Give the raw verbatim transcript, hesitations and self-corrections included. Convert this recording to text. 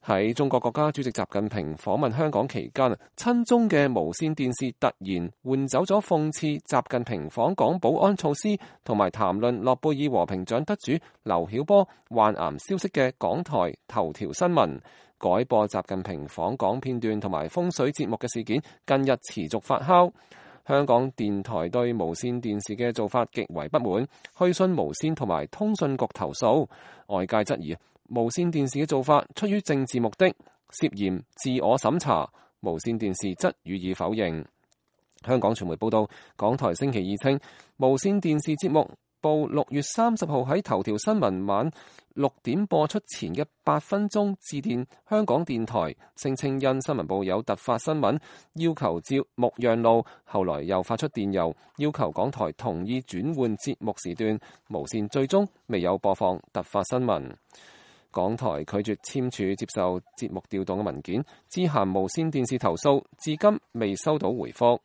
喺中國國家主席習近平訪問香港期間，親中嘅無線電視突然換走咗諷刺習近平訪港保安措施同埋談論諾貝爾和平獎得主劉曉波患癌消息嘅港台頭條新聞，改播習近平訪港片段同埋風水節目嘅事件，近日持續發酵。香港電台對無線電視嘅做法極為不滿，去信無線同埋通訊局投訴。外界質疑無線電視嘅做法出於政治目的，涉嫌自我審查。無線電視則予以否認。香港傳媒報道，港台星期二稱，無線電視節目報六月三十號喺頭條新聞晚六點播出前嘅八分鐘致電香港電台，聲稱因新聞部有突發新聞要求照目讓路，後來又發出電郵要求港台同意轉換節目時段，無線最終未有播放突發新聞。港台拒絕簽署接受節目調動嘅文件，致函無線電視投訴，至今未收到回覆。